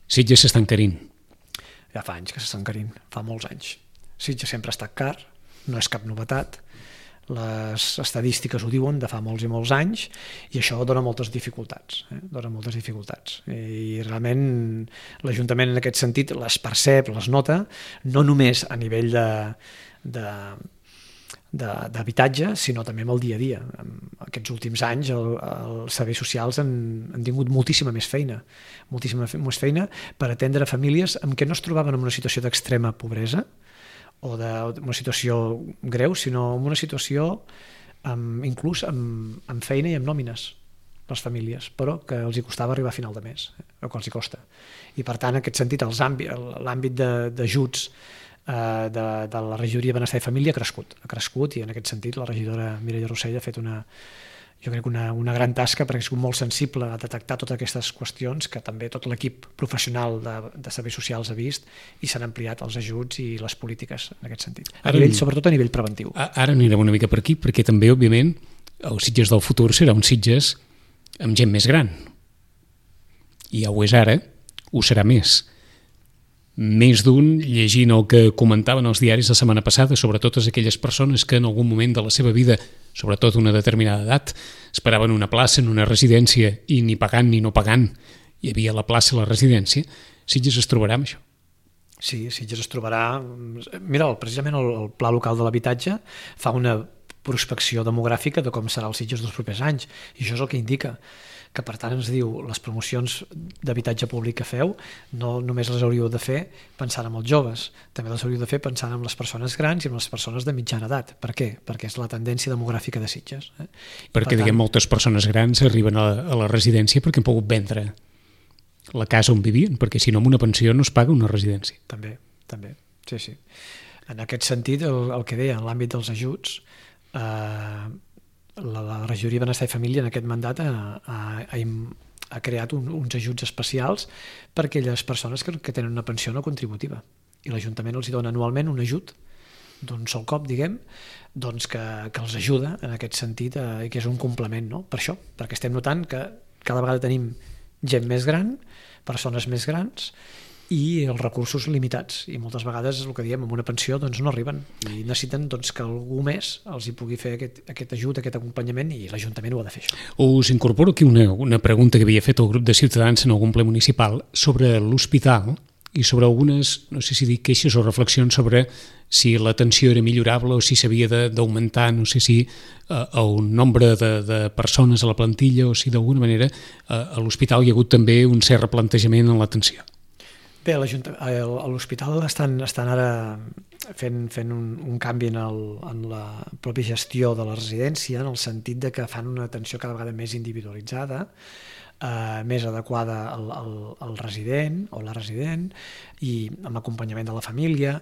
Sitges s'està encarint. Ja fa anys que s'està encarint, fa molts anys. Sitges sempre ha estat car, no és cap novetat, les estadístiques ho diuen de fa molts i molts anys, i això dona moltes dificultats, eh? dona moltes dificultats. I realment l'Ajuntament en aquest sentit les percep, les nota, no només a nivell de, de, de, d'habitatge, sinó també amb el dia a dia. En aquests últims anys el, els serveis socials han, han tingut moltíssima més feina, moltíssima més feina per atendre famílies en què no es trobaven en una situació d'extrema pobresa, o d'una situació greu, sinó en una situació amb, inclús amb, amb feina i amb nòmines, les famílies, però que els hi costava arribar a final de mes, eh, o que els hi costa. I per tant, en aquest sentit, els àmbit, l'àmbit d'ajuts eh, de, de la regidoria de Benestar i Família ha crescut, ha crescut i en aquest sentit la regidora Mireia Rossell ha fet una, jo crec una, una gran tasca perquè ha sigut molt sensible a detectar totes aquestes qüestions que també tot l'equip professional de, de serveis socials ha vist i s'han ampliat els ajuts i les polítiques en aquest sentit, a Ara, nivell, sobretot a nivell preventiu. Ara anirem una mica per aquí perquè també, òbviament, el Sitges del futur serà un Sitges amb gent més gran. I ja ho és ara, ho serà més. Més d'un, llegint el que comentaven els diaris la setmana passada sobre totes aquelles persones que en algun moment de la seva vida, sobretot una determinada edat, esperaven una plaça en una residència i ni pagant ni no pagant hi havia la plaça a la residència, Sitges es trobarà amb això. Sí, Sitges es trobarà... Mira, precisament el, el Pla Local de l'Habitatge fa una prospecció demogràfica de com serà el Sitges dels propers anys, i això és el que indica que per tant ens diu les promocions d'habitatge públic que feu no només les hauríeu de fer pensant en els joves, també les hauríeu de fer pensant en les persones grans i en les persones de mitjana edat. Per què? Perquè és la tendència demogràfica de Sitges. Eh? Perquè, per diguem, tant, moltes persones grans arriben a la, a la residència perquè han pogut vendre la casa on vivien, perquè si no amb una pensió no es paga una residència. També, també, sí, sí. En aquest sentit, el, el que deia, en l'àmbit dels ajuts, eh, la, la regidoria de Benestar i Família en aquest mandat ha, ha, ha, ha creat un, uns ajuts especials per a aquelles persones que, que tenen una pensió no contributiva, i l'Ajuntament els hi dona anualment un ajut d'un sol cop, diguem, doncs que, que els ajuda en aquest sentit, eh, i que és un complement, no? Per això, perquè estem notant que cada vegada tenim gent més gran, persones més grans, i els recursos limitats, i moltes vegades el que diem, amb una pensió doncs no arriben i necessiten doncs, que algú més els hi pugui fer aquest, aquest ajut, aquest acompanyament, i l'Ajuntament ho ha de fer, això. Us incorporo aquí una, una pregunta que havia fet el grup de Ciutadans en algun ple municipal sobre l'hospital i sobre algunes, no sé si dir queixes o reflexions sobre si l'atenció era millorable o si s'havia d'augmentar, no sé si eh, el nombre de, de persones a la plantilla o si d'alguna manera eh, a l'hospital hi ha hagut també un cert replantejament en l'atenció. Bé, a l'hospital estan, estan ara fent, fent un, un canvi en, el, en la pròpia gestió de la residència, en el sentit de que fan una atenció cada vegada més individualitzada, eh, més adequada al, al, al resident o la resident, i amb acompanyament de la família.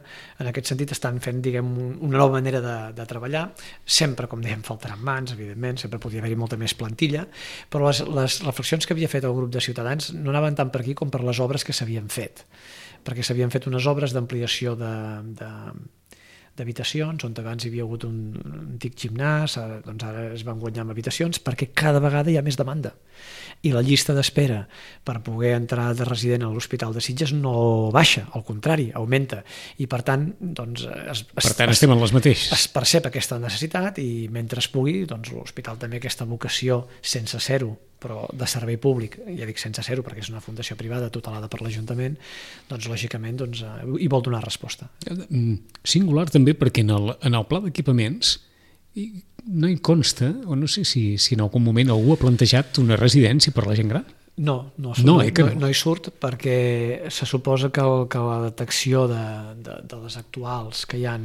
En aquest sentit estan fent, diguem, una nova manera de, de treballar. Sempre, com dèiem, faltaran mans, evidentment, sempre podria haver-hi molta més plantilla, però les, les reflexions que havia fet el grup de Ciutadans no anaven tant per aquí com per les obres que s'havien fet, perquè s'havien fet unes obres d'ampliació de, de, d'habitacions, on abans hi havia hagut un antic gimnàs, doncs ara es van guanyar amb habitacions, perquè cada vegada hi ha més demanda. I la llista d'espera per poder entrar de resident a l'Hospital de Sitges no baixa, al contrari, augmenta. I per tant, doncs, es, per tant estem en les mateixes. Es percep aquesta necessitat, i mentre es pugui, doncs l'hospital també aquesta vocació sense zero, però de servei públic, ja dic sense zero perquè és una fundació privada tutelada per l'Ajuntament, doncs lògicament doncs, hi vol donar resposta. Singular també perquè en el, en el pla d'equipaments no hi consta, o no sé si, si en algun moment algú ha plantejat una residència per a la gent gran. No, no, no, no, eh, no, no hi surt, perquè se suposa que, el, que la detecció de, de, de les actuals que hi ha,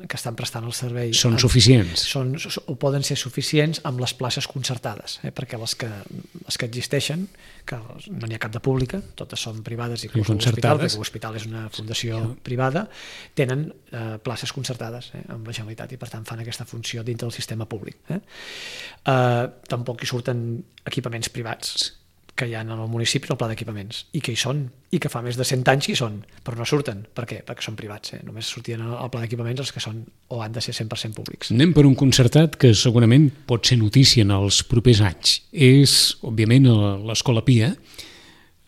que estan prestant el servei són suficients, són, o poden ser suficients amb les places concertades, eh, perquè les que, les que existeixen, que no n'hi ha cap de pública, totes són privades i l'hospital, perquè l'hospital és una fundació sí. privada, tenen eh, places concertades eh, amb la Generalitat, i per tant fan aquesta funció dintre del sistema públic. Eh? Eh, tampoc hi surten equipaments privats que hi ha en el municipi, en el pla d'equipaments, i que hi són, i que fa més de cent anys que hi són, però no surten. Per què? Perquè són privats. Eh? Només sortien al pla d'equipaments els que són o han de ser cent per cent públics. Anem per un concertat que segurament pot ser notícia en els propers anys. És, òbviament, l'Escola Pia.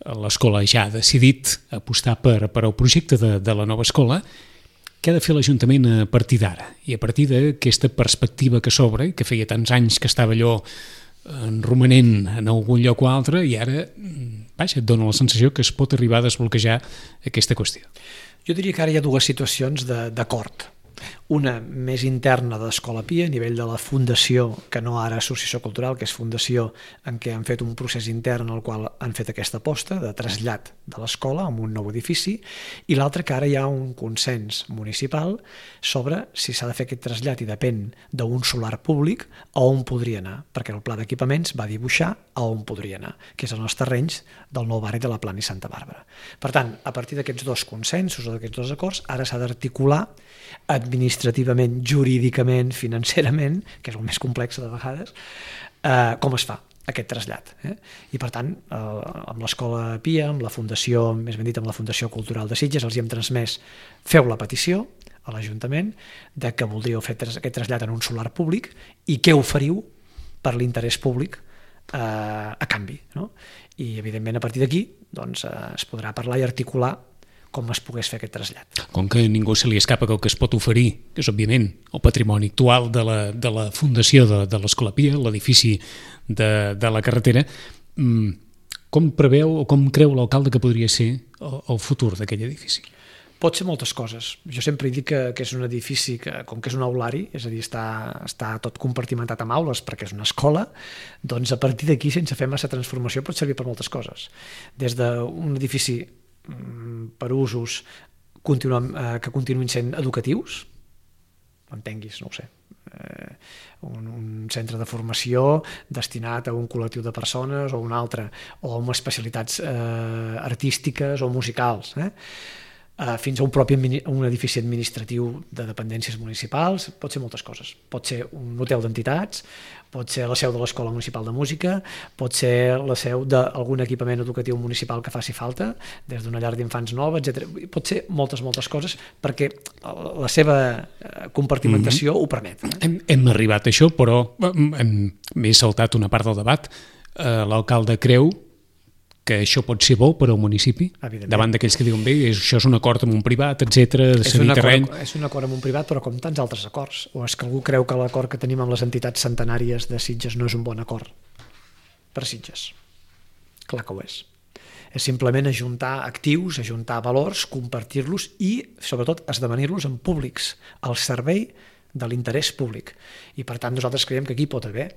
l'escola ja ha decidit apostar per, per al projecte de, de la nova escola. Què ha de fer l'Ajuntament a partir d'ara? I a partir d'aquesta perspectiva que s'obre, que feia tants anys que estava allò en romanent en algun lloc o altre, i ara, vaja, et dona la sensació que es pot arribar a desbloquejar aquesta qüestió. Jo diria que ara hi ha dues situacions d'acord. Una més interna d'Escola Pia, a nivell de la fundació, que no ara associació cultural, que és fundació, en què han fet un procés intern en el qual han fet aquesta aposta de trasllat de l'escola a un nou edifici, i l'altra que ara hi ha un consens municipal sobre si s'ha de fer aquest trasllat, i depèn d'un solar públic a on podria anar, perquè el pla d'equipaments va dibuixar a on podria anar, que és els terrenys del nou barri de la Plana i Santa Bàrbara. Per tant, a partir d'aquests dos consensos o d'aquests dos acords, ara s'ha d'articular administrativament, jurídicament, financerament, que és el més complex de vegades, eh, com es fa aquest trasllat. Eh? I per tant, eh, amb l'Escola Pia, amb la Fundació, més ben dit amb la Fundació Cultural de Sitges, els hi hem transmès, feu la petició a l'Ajuntament de que voldríeu fer aquest trasllat en un solar públic i què oferiu per l'interès públic eh, a canvi. No? I evidentment a partir d'aquí doncs, eh, es podrà parlar i articular com es pogués fer aquest trasllat. Com que a ningú se li escapa que el que es pot oferir, que és òbviament el patrimoni actual de la, de la fundació de, de l'Escola Pia, l'edifici de, de la carretera, com preveu o com creu l'alcalde que podria ser el, el futur d'aquell edifici? Pot ser moltes coses. Jo sempre dic que, que és un edifici que, com que és un aulari, és a dir, està, està tot compartimentat amb aules perquè és una escola, doncs a partir d'aquí, sense fer massa transformació, pot servir per moltes coses. Des d'un edifici per usos continuem, eh, que continuïn sent educatius, entenguis, no ho sé, eh, un, un centre de formació destinat a un col·lectiu de persones o un altre, o amb especialitats eh, artístiques o musicals, eh? Uh, fins a un propi un edifici administratiu de dependències municipals, pot ser moltes coses. Pot ser un hotel d'entitats, pot ser la seu de l'Escola Municipal de Música, pot ser la seu d'algun equipament educatiu municipal que faci falta, des d'una llar d'infants nova, etcètera. Pot ser moltes, moltes coses, perquè la seva compartimentació mm-hmm. ho permet. Eh? Hem, hem arribat a això, però m'he saltat una part del debat. Uh, l'alcalde creu que això pot ser bo per al municipi, davant d'aquells que diuen bé, això és un acord amb un privat, etcètera, de cedir terreny. És un acord amb un privat, però com tants altres acords. O és que algú creu que l'acord que tenim amb les entitats centenàries de Sitges no és un bon acord per Sitges? Clar que ho és. És simplement ajuntar actius, ajuntar valors, compartir-los i, sobretot, esdevenir-los en públics, al servei de l'interès públic. I, per tant, nosaltres creiem que aquí pot haver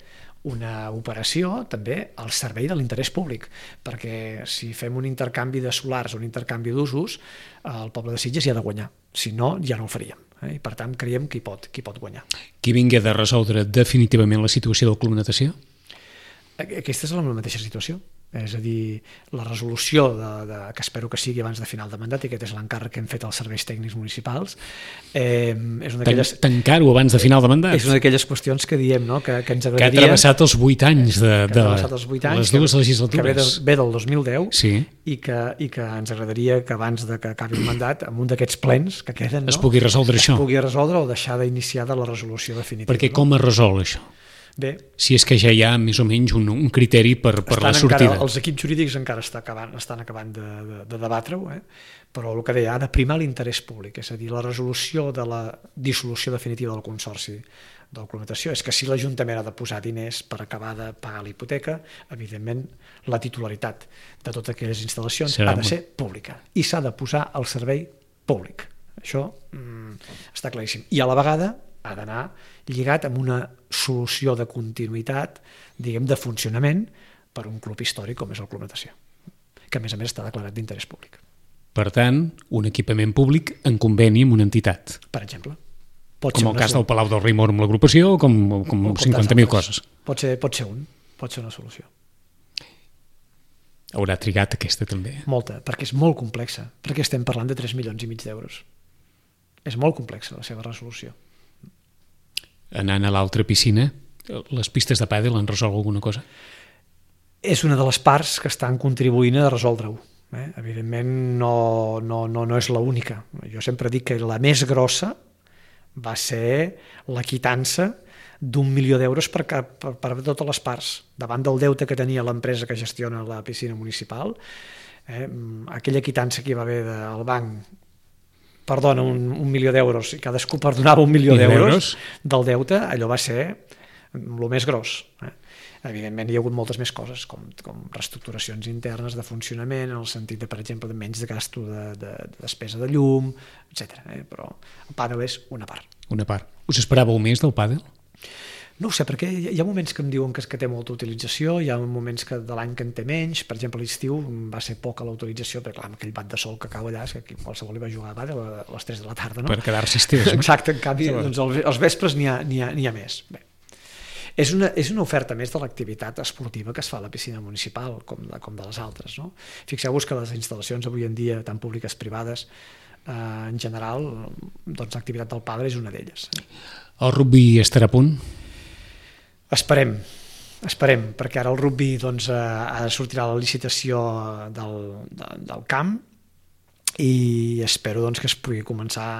una operació també al servei de l'interès públic, perquè si fem un intercanvi de solars o un intercanvi d'usos, el poble de Sitges hi ha de guanyar. Si no, ja no el faríem. Eh? I, per tant, creiem que hi pot, que hi pot guanyar. Qui vingui de resoldre definitivament la situació del Club Natació? Aquesta és la mateixa situació. És a dir, la resolució de, de, que espero que sigui abans de final de mandat, i aquest és l'encàrrec que hem fet als serveis tècnics municipals, eh, és una d'aquelles... Tancar-ho abans de final de mandat? És una d'aquelles qüestions que diem, no? que, que ens agradaria... Que ha travessat els vuit anys de, de, de els vuit anys, les dues legislatures. Que ve, de, ve del dos mil deu, sí. i, que, i que ens agradaria que abans de que acabi el mandat, amb un d'aquests plens que queden, no? es pugui resoldre es això. Es pugui resoldre o deixar d'iniciar de la resolució definitiva. Perquè no? com es resol això? Bé, si és que ja hi ha més o menys un, un criteri per, per la sortida. Encara, els equips jurídics encara està acabant, estan acabant de, de, de debatre-ho, eh? Però el que deia, ha de primar l'interès públic, és a dir, la resolució de la dissolució definitiva del consorci del Club Natació és que si l'Ajuntament ha de posar diners per acabar de pagar la hipoteca, evidentment la titularitat de totes aquelles instal·lacions Serà ha de ser pública i s'ha de posar al servei públic. Això mm, està claríssim. I a la vegada ha d'anar lligat amb una solució de continuïtat, diguem, de funcionament per un club històric com és el Club Natació, que a més a més està declarat d'interès públic. Per tant, un equipament públic en conveni amb una entitat. Per exemple. Pot com el cas del Palau del Rimor amb l'agrupació o com, com, com cinquanta mil coses. Pot ser, pot ser un, pot ser una solució. Haurà trigat aquesta també. Molta, perquè és molt complexa, perquè estem parlant de tres milions i mig d'euros. És molt complexa la seva resolució. Anant a l'altra piscina, les pistes de pàdel han resolt alguna cosa? És una de les parts que estan contribuint a resoldre-ho. Eh? Evidentment no, no, no, no és l'única. Jo sempre dic que la més grossa va ser la quitança d'un milió d'euros per, per, per totes les parts. Davant del deute que tenia l'empresa que gestiona la piscina municipal, Eh? Aquella quitança que hi va haver del banc, perdona, un, un milió d'euros, i cadascú perdonava un milió d'euros del deute, allò va ser el més gros. Eh? Evidentment hi ha hagut moltes més coses, com, com reestructuracions internes de funcionament, en el sentit de, per exemple, de menys de gasto de, de, de despesa de llum, etcètera. Eh? Però el pàdel és una part. Una part. Us esperàveu més del pàdel? No ho sé, perquè hi ha moments que em diuen que, que té molta utilització, hi ha moments que de l'any que en té menys. Per exemple, a l'estiu va ser poca la utilització, perquè clar, amb aquell bat de sol que cau allà, és que qualsevol hi va jugar a pàdel a les tres de la tarda, no? Per quedar-se estès. Exacte, en canvi, doncs, els vespres n'hi ha, n'hi ha, n'hi ha més. Bé. És una, és una oferta més de l'activitat esportiva que es fa a la piscina municipal, com de, com de les altres. No? Fixeu-vos que les instal·lacions avui en dia, tant públiques privades, eh, en general, doncs l'activitat del pàdel és una d'elles. El rugby estarà a punt? Esperem, esperem, perquè ara el rugby doncs, eh, sortirà la licitació del, de, del camp i espero doncs, que es pugui començar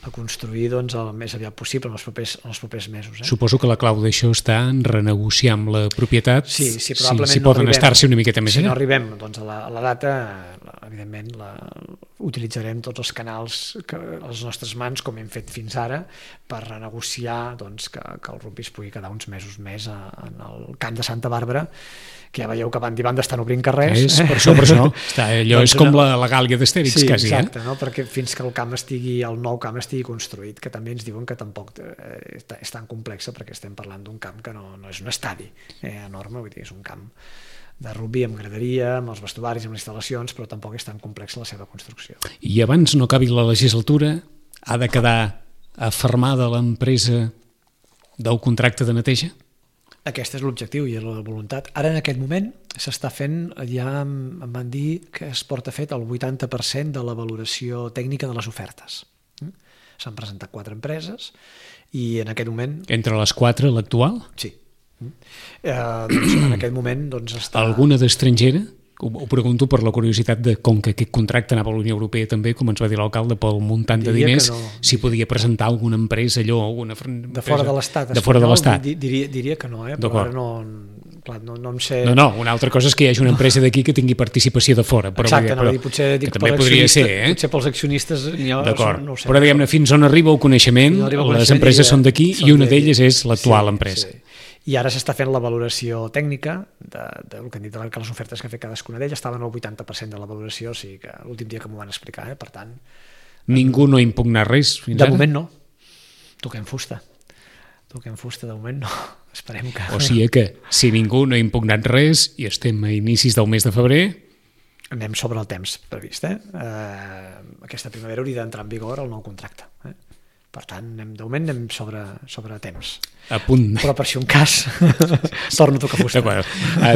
a construir doncs, el més aviat possible en els propers, en els propers mesos. Eh? Suposo que la clau d'això està en renegociar amb la propietat, sí, sí, probablement si, si no poden arribem, estar-se una miqueta més si allà. Si no arribem doncs, a, la, a la data, evidentment la, utilitzarem tots els canals que, a les nostres mans, com hem fet fins ara, per renegociar doncs, que, que el rugby es pugui quedar uns mesos més a, en el camp de Santa Bàrbara, que ja veieu que van i banda estan obrint carrers. És, per això, per això. Està, allò doncs és com una... la, la Gàlia d'Astèrix, sí, quasi. Exacte, eh? no? Perquè fins que el camp estigui, el nou camp estigui construït, que també ens diuen que tampoc eh, és tan complexa, perquè estem parlant d'un camp que no, no és un estadi eh, enorme, vull dir, és un camp de rugby amb graderia, amb els vestuaris, amb les instal·lacions, però tampoc és tan complexa la seva construcció. I abans no acabi la legislatura, ha de quedar afermada l'empresa del contracte de neteja? Aquest és l'objectiu i la voluntat. Ara, en aquest moment, s'està fent, ja em van dir que es porta fet el vuitanta per cent de la valoració tècnica de les ofertes. S'han presentat quatre empreses i en aquest moment... Entre les quatre, l'actual? Sí. Eh, doncs, en aquest moment doncs, està... Alguna d'estrangera? Ho, ho pregunto per la curiositat de com que aquest contracte anava a la Unió Europea també, com ens va dir l'alcalde, pel muntant de diria diners, no. Si podia presentar alguna empresa allò, alguna empresa... De fora de l'Estat. De fora de l'Estat. Diria, diria que no, eh? Però ara no, clar, no, no em sé... No, no, una altra cosa és que hi hagi una empresa d'aquí que tingui participació de fora. Però, exacte, però, no, dir, potser dic, que també podria ser, eh? Potser pels accionistes... D'acord, no sé, però diguem-ne, fins on arriba el coneixement, no arriba el coneixement les empreses són d'aquí i una d'elles és l'actual sí, empresa. Sí. I ara s'està fent la valoració tècnica de, de, del que han dit, que les ofertes que ha fet cadascuna d'elles estaven al vuitanta per cent de la valoració, o sigui que l'últim dia que m'ho van explicar, eh? Per tant... Ningú no ha impugnat res fins de ara? De moment no. Toquem fusta. Toquem fusta, de moment no. Esperem que... O sigui que, si ningú no ha impugnat res i estem a inicis del mes de febrer... Anem sobre el temps previst, eh? eh aquesta primavera hauria d'entrar en vigor el nou contracte, eh? Per tant, anem, de moment anem sobre, sobre temps. A punt. Però per si un cas, torno a tocar fusta. A,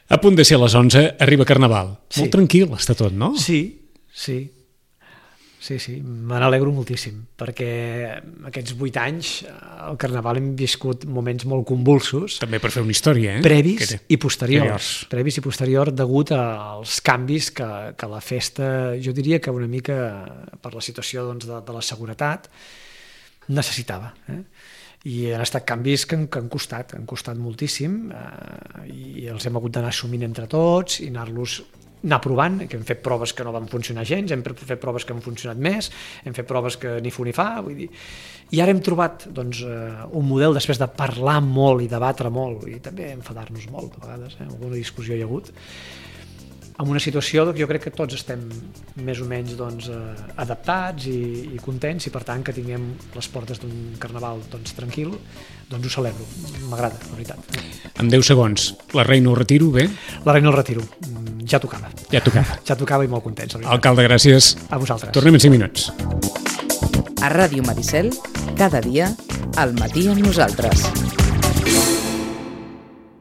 a punt de ser a les onze, arriba Carnaval. Sí. Molt tranquil està tot, no? Sí, sí. Sí, sí, me n'alegro moltíssim, perquè aquests vuit anys al Carnaval hem viscut moments molt convulsos. També per fer una història, eh? Previs i posteriors. Anteriors. Previs i posteriors degut als canvis que, que la festa, jo diria que una mica per la situació doncs, de, de la seguretat, necessitava. Eh? I han estat canvis que han, que han costat, han costat moltíssim eh, i els hem hagut d'anar assumint entre tots i anar-los anar provant, que hem fet proves que no van funcionar gens, hem fet proves que han funcionat més, hem fet proves que ni fu ni fa, vull dir... I ara hem trobat doncs, un model després de parlar molt i debatre molt i també enfadar-nos molt, a vegades, eh? Alguna discussió hi ha hagut, amb una situació que jo crec que tots estem més o menys doncs, adaptats i, i contents i per tant que tinguem les portes d'un Carnaval doncs, tranquil, doncs ho celebro, m'agrada, la veritat. En deu segons, la reina ho retiro, bé? La reina el retiro, ja tocava. Ja tocava. Ja tocava i molt contents. Alcalde, gràcies. A vosaltres. Tornem en cinc minuts. A Ràdio Maricel, cada dia, al matí amb nosaltres.